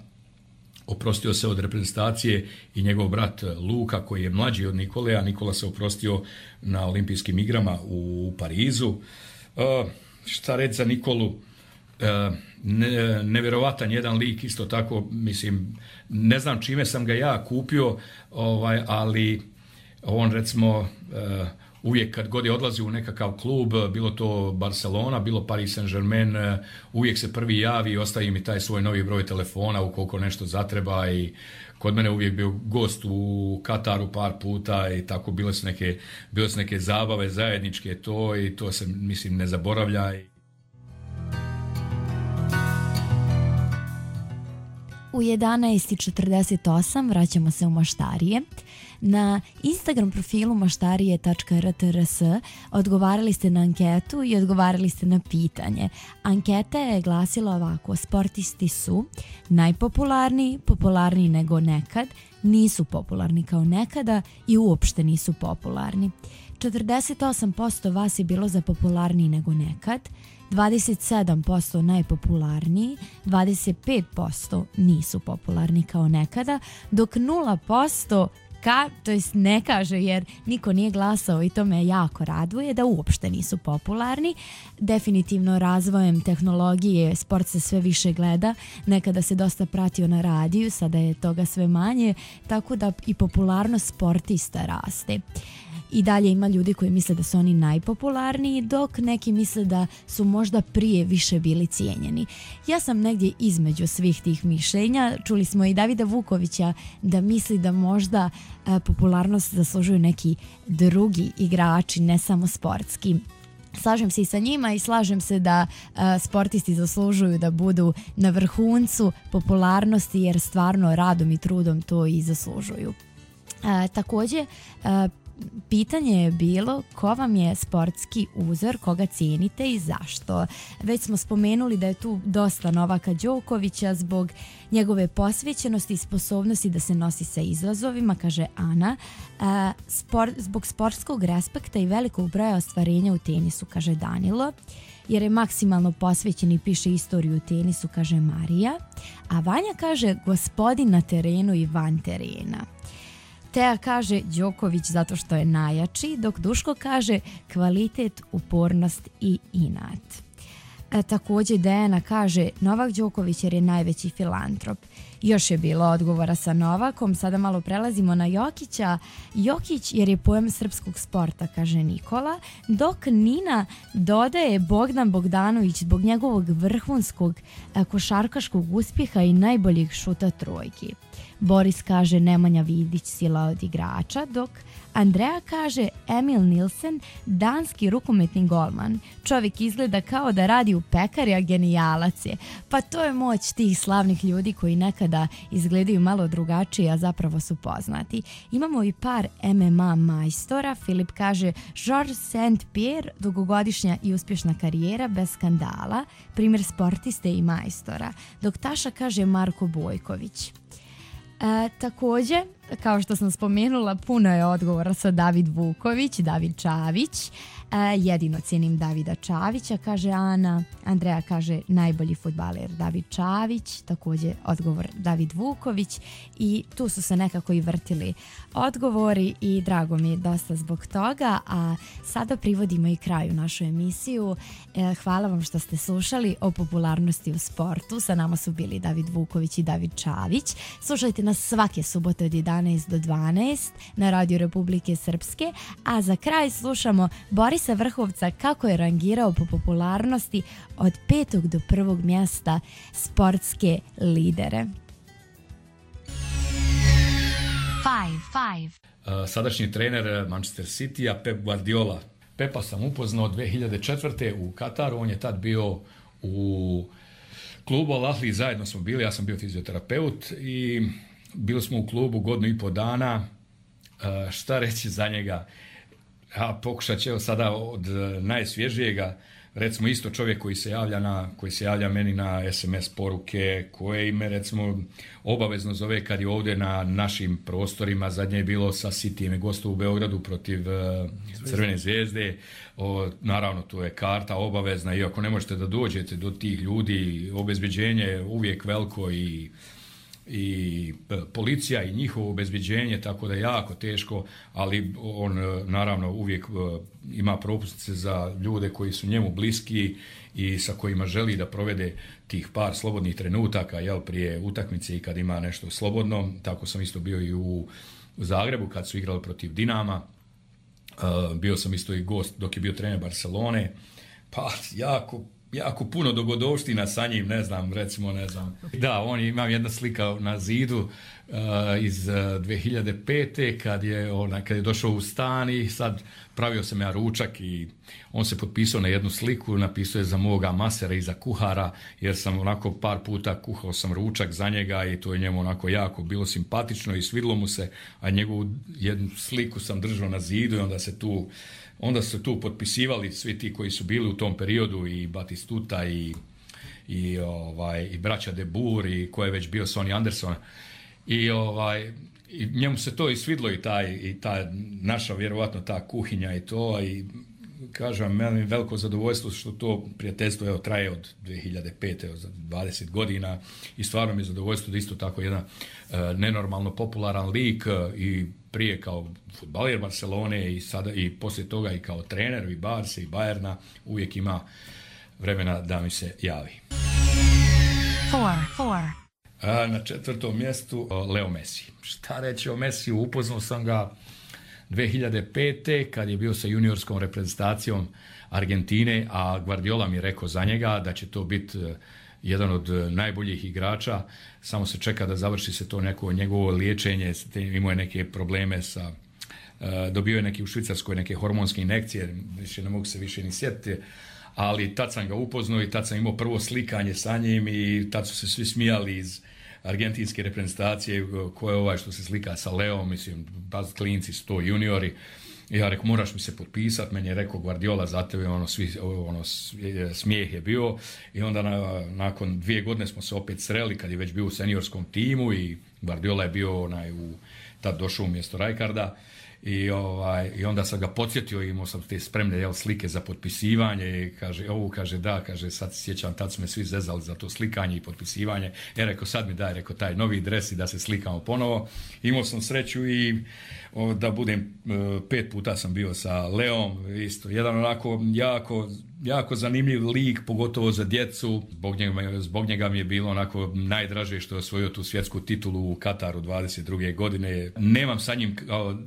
oprostio se od reprezentacije i njegov brat Luka koji je mlađi od Nikole, a Nikola se oprostio na olimpijskim igrama u Parizu. Šta reći za Nikolu? Nevjerovatan jedan lik, isto tako, mislim, ne znam čime sam ga ja kupio, ali on recimo uvijek kad god je odlazio u nekakav klub, bilo to Barcelona, bilo Paris Saint-Germain, uvijek se prvi javi i ostavi mi taj svoj novi broj telefona ukoliko nešto zatreba i kod mene uvijek bio gost u Kataru par puta i tako bile su neke zabave zajedničke to i to se mislim ne zaboravlja. U 11:48 vraćamo se u Maštarije. Na Instagram profilu maštarije.rtrs odgovarali ste na anketu i odgovarali ste na pitanje. Anketa je glasila ovako: sportisti su najpopularniji, popularniji nego nekad, nisu popularni kao nekada i uopšte nisu popularni. 48% vas je bilo za popularniji nego nekad, 27% najpopularniji, 25% nisu popularni kao nekada, dok 0% to jest ne kaže jer niko nije glasao i to me jako raduje da uopšte nisu popularni. Definitivno razvojem tehnologije sport se sve više gleda, nekada se dosta pratio na radiju, sada je toga sve manje, tako da i popularnost sportista raste. I dalje ima ljudi koji misle da su oni najpopularniji, dok neki misle da su možda prije više bili cijenjeni. Ja sam negdje između svih tih mišljenja. Čuli smo i Davida Vukovića da misli da možda popularnost zaslužuju neki drugi igrači, ne samo sportski. Slažem se i sa njima i slažem se da sportisti zaslužuju da budu na vrhuncu popularnosti jer stvarno radom i trudom to i zaslužuju. Također, pitanje je bilo ko vam je sportski uzor, koga cijenite i zašto. Već smo spomenuli da je tu dosta Novaka Đokovića zbog njegove posvećenosti i sposobnosti da se nosi sa izazovima, kaže Ana. Zbog sportskog respekta i velikog broja ostvarenja u tenisu, kaže Danilo. Jer je maksimalno posvećen i piše istoriju u tenisu, kaže Marija. A Vanja kaže gospodin na terenu i van terena. Teja kaže Đoković zato što je najjači, dok Duško kaže kvalitet, upornost i inat. Također Dejana kaže Novak Đoković jer je najveći filantrop. Još je bilo odgovora sa Novakom, sada malo prelazimo na Jokića. Jokić jer je pojam srpskog sporta, kaže Nikola, dok Nina dodaje Bogdan Bogdanović zbog njegovog vrhunskog košarkaškog uspjeha i najboljeg šuta trojki. Boris kaže Nemanja Vidić, sila od igrača, dok Andreja kaže Emil Nilsen, danski rukometni golman. Čovjek izgleda kao da radi u pekari, a genijalac je. Pa to je moć tih slavnih ljudi koji nekada izgledaju malo drugačije, a zapravo su poznati. Imamo i par MMA majstora. Filip kaže Georges St-Pierre, dugogodišnja i uspješna karijera bez skandala, primjer sportiste i majstora. Dok Taša kaže Marko Bojković. Također, kao što sam spomenula, puno je odgovora sa David Vuković, David Čavić. Jedino cijenim Davida Čavića, kaže Ana. Andreja kaže najbolji fudbaler David Čavić, također odgovor David Vuković i tu su se nekako i vrtili odgovori i drago mi je dosta zbog toga, a sada privodimo i kraju našu emisiju. Hvala vam što ste slušali o popularnosti u sportu. Sa nama su bili David Vuković i David Čavić. Slušajte nas svake subote od 11 do 12 na Radio Republike Srpske, a za kraj slušamo Borisa Vrhovca kako je rangirao po popularnosti od 5. do 1. mjesta sportske lidere. Sadašnji trener Manchester City-a Pep Guardiola. Pepa sam upoznao 2004. u Kataru, on je tad bio u klubu Al Ahly, zajedno smo bili, ja sam bio fizioterapeut i bili smo u klubu godinu i pol dana. Šta reći za njega? Ja pokušat ću sada od najsvježijega, recimo isto čovjek koji se javlja meni na SMS poruke, koje ime recimo obavezno zove kad je ovdje na našim prostorima, zadnje je bilo sa Cityjem, gostu u Beogradu protiv Crvene zvijezde, naravno tu je karta obavezna i ako ne možete da dođete do tih ljudi, obezbeđenje je uvijek veliko i policija i njihovo obezbeđenje, tako da je jako teško, ali on naravno uvijek ima propusnice za ljude koji su njemu bliski i sa kojima želi da provede tih par slobodnih trenutaka prije utakmice i kad ima nešto slobodno. Tako sam isto bio i u Zagrebu kad su igrali protiv Dinama. Bio sam isto i gost dok je bio trener Barcelone. Pa jako puno dogodovština sa njim, ne znam. Da, imam jedna slika na zidu iz 2005. kad je došao u stan i sad pravio sam ja ručak i on se potpisao na jednu sliku, napisao je za moga masera i za kuhara, jer sam onako par puta kuhao sam ručak za njega i to je njemu onako jako bilo simpatično i svidlo mu se, a njegovu jednu sliku sam držao na zidu i onda su tu potpisivali svi ti koji su bili u tom periodu, i Batistuta i braća De Boer i ko je već bio, Sonny Anderson. I njemu se to i svidlo i ta naša vjerovatno ta kuhinja i to, i kažem, meni veliko zadovoljstvo što to prijateljstvo traje od 2005. za 20 godina i stvarno mi je zadovoljstvo da isto tako jedan nenormalno popularan lik i prije kao fudbaler Barcelone i sada i poslije toga i kao trener i Barse i Bayerna uvijek ima vremena da mi se javi. Na 4. mjestu Leo Messi. Šta reći o Messiju? Upoznao sam ga 2005. kad je bio sa juniorskom reprezentacijom Argentine, a Guardiola mi je rekao za njega da će to biti jedan od najboljih igrača. Samo se čeka da završi se to neko njegovo liječenje. Imao je neke probleme dobio je neki u Švicarskoj neke hormonske injekcije, ne mogu se više ni sjetiti. Ali tad sam ga upoznao i tad sam imao prvo slikanje sa njim i tad su se svi smijali iz argentinske reprezentacije, ko je ovaj što se slika sa Leom, mislim, baz klinci su to juniori. I ja rekao, moraš mi se potpisati, meni je rekao Guardiola za tebe, smijeh je bio. I onda nakon 2 godine smo se opet sreli kad je već bio u seniorskom timu i Guardiola je bio tad došao umjesto Rijkaarda. I onda sam ga podsjetio, imao sam te spremne slike za potpisivanje i kaže, sad se sjećam, tad su me svi zezali za to slikanje i potpisivanje. Rekao, sad mi daj, taj novi dres i da se slikamo ponovo. Imao sam sreću i da budem, 5 puta sam bio sa Leom, isto, jedan onako jako zanimljiv lik, pogotovo za djecu. Zbog njega mi je bilo onako najdraže što je osvojio tu svjetsku titulu u Kataru 22. godine. Nemam sa njim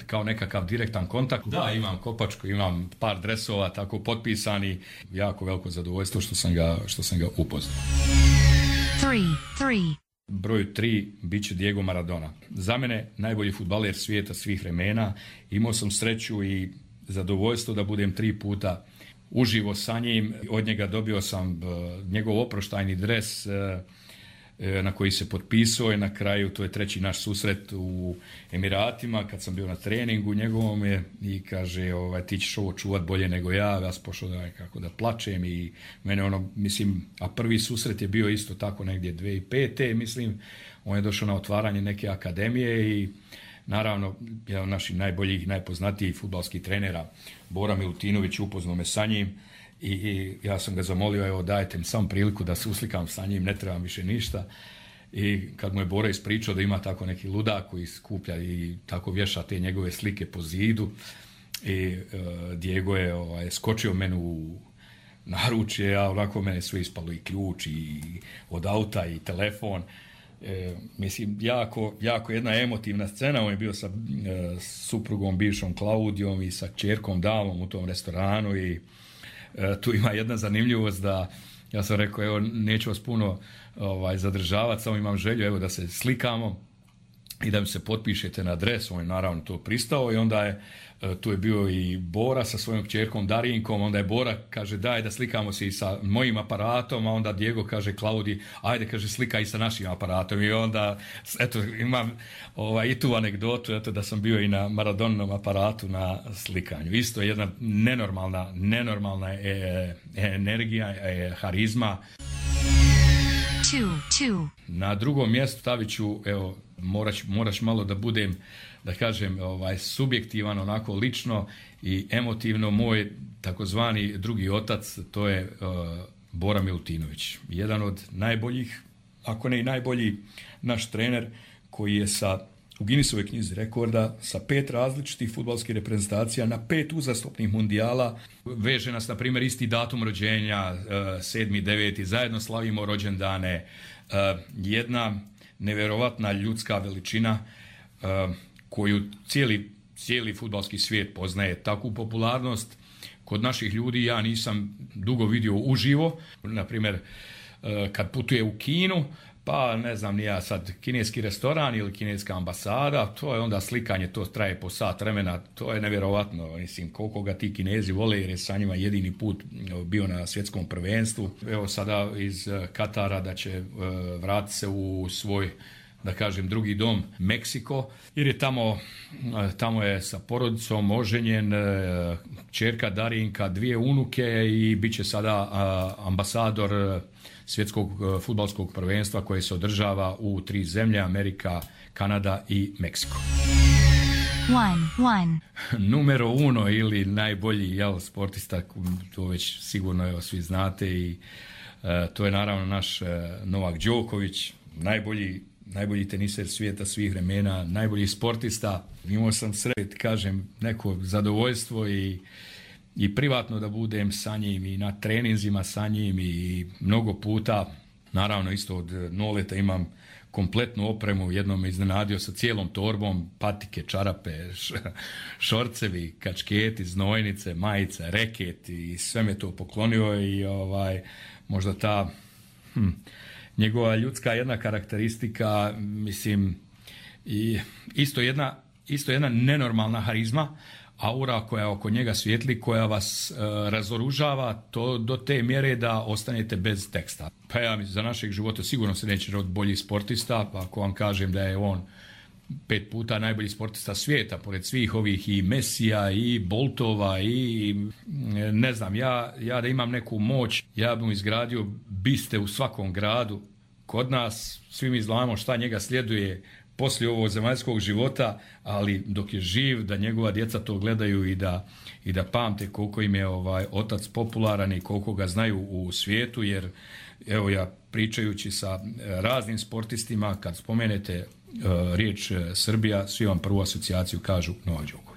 kao nekakav direktan kontakt. Da, imam kopačku, imam par dresova tako potpisani. Jako veliko zadovoljstvo što sam ga upoznao. 3. Broj 3 bit će Diego Maradona. Za mene najbolji fudbaler svijeta svih vremena. Imao sam sreću i zadovoljstvo da budem 3 puta uživo sa njim. Od njega dobio sam njegov oproštajni dres na koji se potpisao i na kraju to je 3. naš susret u Emiratima kad sam bio na treningu njegovom i kaže ti ćeš ovo čuvat bolje nego ja sam pošao da plačem i mene a prvi susret je bio isto tako negdje 2005. mislim, on je došao na otvaranje neke akademije i naravno jedan od naših najboljih, najpoznatijih fudbalskih trenera Bora Milutinović upoznao me sa njim i ja sam ga zamolio, dajte mi samo priliku da se uslikam sa njim, ne trebam više ništa. I kad mu je Bora ispričao da ima tako neki ludak koji skuplja i tako vješa te njegove slike po zidu i Diego je skočio meni u naručje, a onako mene sve ispalo i ključ i od auta i telefon. Mislim, jako jedna emotivna scena. On je bio sa suprugom bivšom Klaudijom i sa kćerkom Dalom u tom restoranu i tu ima jedna zanimljivost da ja sam rekao, neću vas puno zadržavati, samo imam želju da se slikamo i da mi se potpišete na adres. On je naravno to pristao i onda tu je bio i Bora sa svojom kćerkom Darinkom, onda je Bora kaže daj da slikamo se i sa mojim aparatom, a onda Diego kaže Klaudi ajde kaže slikaj i sa našim aparatom i onda imam i tu anegdotu da sam bio i na Maradoninom aparatu na slikanju. Isto je jedna nenormalna energija, harizma. 2. Na 2. mjestu stavit ću, moraš malo da budem, da kažem, subjektivan, onako lično i emotivno, moj takozvani drugi otac, to je Bora Milutinović. Jedan od najboljih, ako ne i najbolji naš trener koji je u Guinnessovoj knjizi rekorda sa 5 različitih fudbalskih reprezentacija na 5 uzastopnih mundijala. Veže nas, na primjer, isti datum rođenja, 7.9. Zajedno slavimo rođendane. Jedna nevjerovatna ljudska veličina koju cijeli fudbalski svijet poznaje. Takvu popularnost kod naših ljudi ja nisam dugo vidio uživo. Na primjer, kad putuje u Kinu, Pa ne znam ni ja sad, kineski restoran ili kineska ambasada, to je onda slikanje, to traje po sat vremena, to je nevjerovatno, mislim koliko ga ti Kinezi vole jer je sa njima jedini put bio na svjetskom prvenstvu. Evo sada iz Katara da će vratiti se u svoj, da kažem, drugi dom, Meksiko, jer je tamo je sa porodicom oženjen, kćerka Darinka, 2 unuke i bit će sada ambasador svjetskog fudbalskog prvenstva koje se održava u 3 zemlje, Amerika, Kanada i Meksiko. Numero 1 ili najbolji sportista, to već sigurno svi znate i to je naravno naš Novak Đoković, najbolji teniser svijeta svih vremena, najbolji sportista. Imao sam sreću, kažem, neko zadovoljstvo i privatno da budem sa njim i na treninzima sa njim i mnogo puta. Naravno isto od Noleta imam kompletnu opremu, jednom me iznenadio sa cijelom torbom, patike, čarape, šorcevi, kačketi, znojnice, majice, reket i sve me to poklonio i možda ta njegova ljudska jedna karakteristika, mislim, i isto jedna nenormalna harizma, aura koja oko njega svijetli, koja vas razoružava to do te mjere da ostanete bez teksta. Pa ja za našeg života sigurno se neće roditi bolji sportista, pa ako vam kažem da je on 5 puta najbolji sportista svijeta, pored svih ovih i Mesija i Boltova i ne znam, ja da imam neku moć, ja bih izgradio biste u svakom gradu. Kod nas svi mi znamo šta njega sljeduje poslije ovog zemaljskog života, ali dok je živ, da njegova djeca to gledaju i da pamte koliko im je otac popularan i koliko ga znaju u svijetu, jer evo ja pričajući sa raznim sportistima, kad spomenete riječ Srbija, svi vam prvu asocijaciju kažu Novak Đoković.